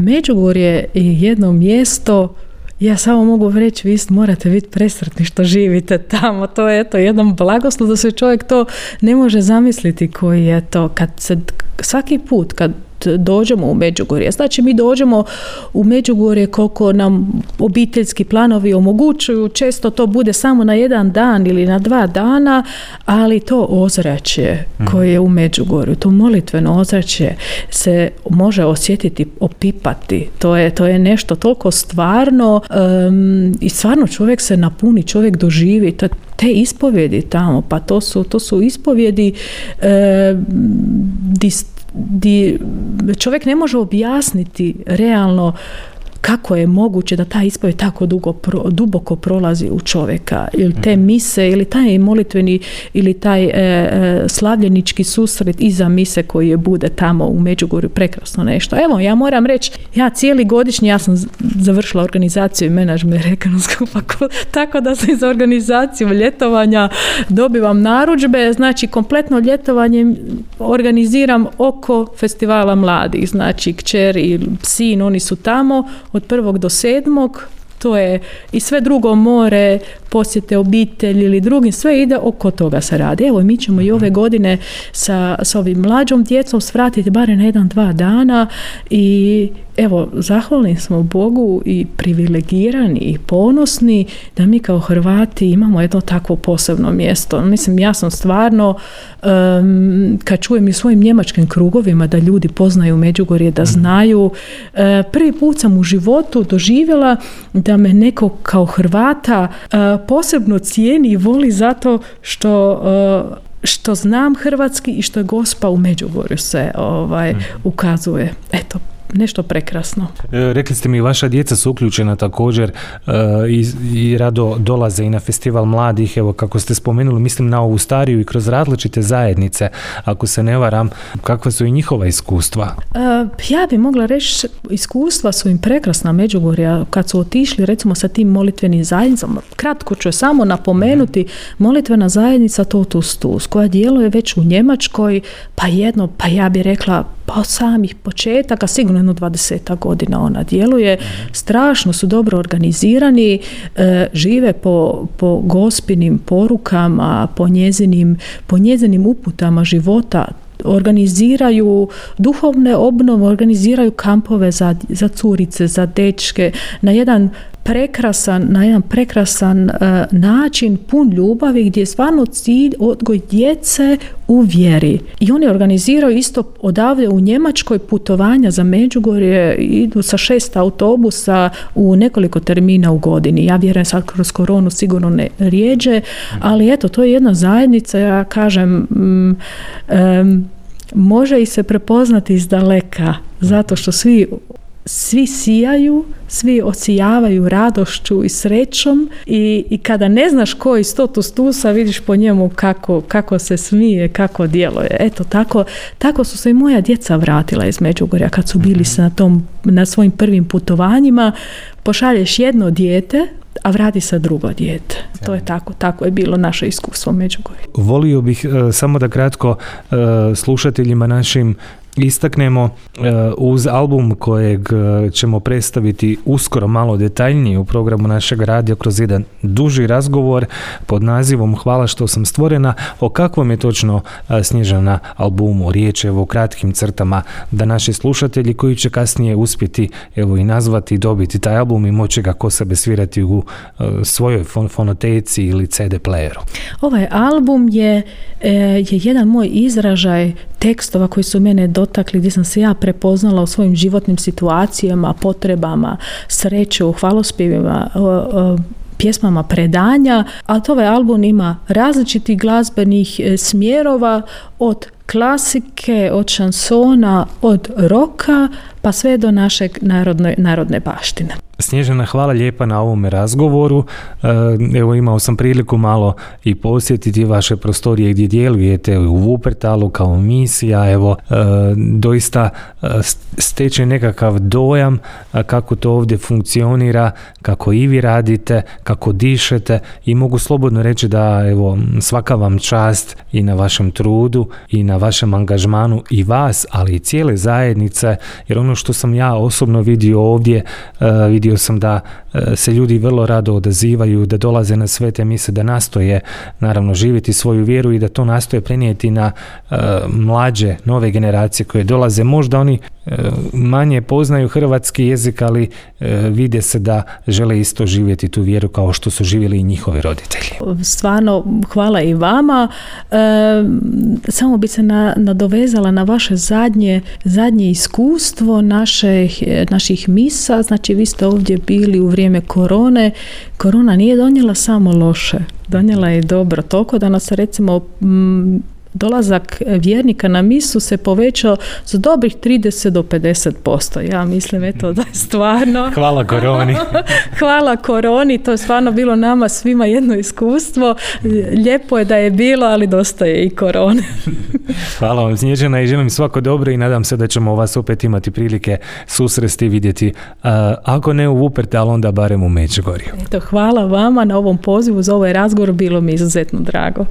Međugorje je jedno mjesto, ja samo mogu reći, vi morate biti presretni što živite tamo. To je jedan blagoslov da se čovjek to ne može zamisliti koji je to. Svaki put kad dođemo u Međugorje, znači mi dođemo u Međugorje koliko nam obiteljski planovi omogućuju, često to bude samo na jedan dan ili na 2 dana, ali to ozračje koje je u Međugorju, to molitveno ozračje se može osjetiti, opipati. To je nešto toliko stvarno i stvarno čovjek se napuni, čovjek doživi te ispovjedi tamo, pa to su ispovjedi di čovjek ne može objasniti realno kako je moguće da ta ispovjed tako duboko prolazi u čovjeka, ili te mise, ili taj molitveni, ili taj slavljenički susret iza mise koji je bude tamo u Međugorju, prekrasno nešto. Evo, ja moram reći, ja cijeli godišnji, ja sam završila organizaciju i menadžment ekonomskog fakulteta, tako da se za organizaciju ljetovanja dobivam narudžbe, znači kompletno ljetovanje organiziram oko festivala mladih, znači kćer i sin, oni su tamo od 1. do 7. To je i sve drugo more, posjete obitelji ili drugim, sve ide oko toga se radi. Evo, mi ćemo i ove godine sa ovim mlađom djecom svratiti barem na 1-2 dana i evo, zahvalni smo Bogu i privilegirani i ponosni da mi kao Hrvati imamo jedno takvo posebno mjesto. Mislim, ja sam stvarno, kad čujem i u svojim njemačkim krugovima da ljudi poznaju Međugorje, da znaju, prvi put sam u životu doživjela da me neko kao Hrvata posebno cijeni i voli zato što znam hrvatski i što je Gospa u Međugorju se ukazuje. Eto, nešto prekrasno. Rekli ste mi, vaša djeca su uključena također i rado dolaze i na festival mladih, evo kako ste spomenuli, mislim na ovu stariju i kroz različite zajednice, ako se ne varam, kakva su i njihova iskustva? Ja bi mogla reći, iskustva su im prekrasna Međugorja, kad su otišli recimo sa tim molitvenim zajednicama. Kratko ću samo napomenuti, molitvena zajednica Totus Tus, koja djeluje već u Njemačkoj, pa ja bi rekla od samih početaka, sigurno 20 godina ona djeluje, strašno su dobro organizirani, žive po Gospinim porukama, po njezinim uputama života, organiziraju duhovne obnove, organiziraju kampove za curice, za dečke, na jedan prekrasan način, pun ljubavi, gdje je stvarno cilj odgoj djece u vjeri. I oni organiziraju isto odavde u Njemačkoj putovanja za Međugorje, idu sa 6 autobusa u nekoliko termina u godini. Ja vjerujem sad kroz koronu sigurno ne rijeđe, ali eto, to je jedna zajednica, ja kažem, može i se prepoznati iz daleka, zato što svi sijaju, svi osijavaju radošću i srećom i kada ne znaš ko je iz Totus Tusa, vidiš po njemu kako se smije, kako djeluje. Eto, tako su se i moja djeca vratila iz Međugorja kad su bili na svojim prvim putovanjima. Pošalješ jedno dijete, a vrati se drugo dijete. To je tako je bilo naše iskustvo u Međugorju. Volio bih samo da kratko slušateljima našim istaknemo uz album kojeg ćemo predstaviti uskoro malo detaljnije u programu našeg radija kroz jedan duži razgovor pod nazivom Hvala što sam stvorena. O kakvom je točno Snježana albumu riječ, evo u kratkim crtama, da naši slušatelji koji će kasnije uspjeti evo i nazvati i dobiti taj album i moći ga ko sebe svirati u svojoj fonoteci ili CD playeru. Ovaj album je jedan moj izražaj tekstova koji su mene dotakli, gdje sam se ja prepoznala u svojim životnim situacijama, potrebama, sreću, hvalospjevima, pjesmama predanja, ali ovaj album ima različitih glazbenih smjerova, od klasike, od šansona, od roka, pa sve do našeg narodne baštine. Snježana, hvala lijepa na ovome razgovoru. Evo, imao sam priliku malo i posjetiti vaše prostorije gdje djelujete u Wuppertalu kao misija. Evo, doista steče nekakav dojam kako to ovdje funkcionira, kako i vi radite, kako dišete, i mogu slobodno reći da evo, svaka vam čast i na vašem trudu i na vašem angažmanu i vas, ali i cijele zajednice, jer ono što sam ja osobno vidio ovdje, vidio sam da se ljudi vrlo rado odazivaju, da dolaze na svete mise, da nastoje naravno živjeti svoju vjeru i da to nastoje prenijeti na mlađe, nove generacije koje dolaze. Možda oni manje poznaju hrvatski jezik, ali vide se da žele isto živjeti tu vjeru kao što su živjeli i njihovi roditelji. Stvarno, hvala i vama. Samo bi se nadovezala na vaše zadnje iskustvo naših misa. Znači, vi ste ovdje bili u vrijeme korone. Korona nije donijela samo loše, donijela je dobro. Toliko da nas, recimo, dolazak vjernika na misu se povećao za dobrih 30 do 50%. Ja mislim, eto, da je stvarno... Hvala koroni. Hvala koroni, to je stvarno bilo nama svima jedno iskustvo. Lijepo je da je bilo, ali dosta je i korone. Hvala vam, Snježana, i želim svako dobro i nadam se da ćemo vas opet imati prilike susresti i vidjeti. Ako ne u Wuppertalu, onda barem u Međugorju. Eto, hvala vama na ovom pozivu za ovaj razgovor, bilo mi izuzetno drago.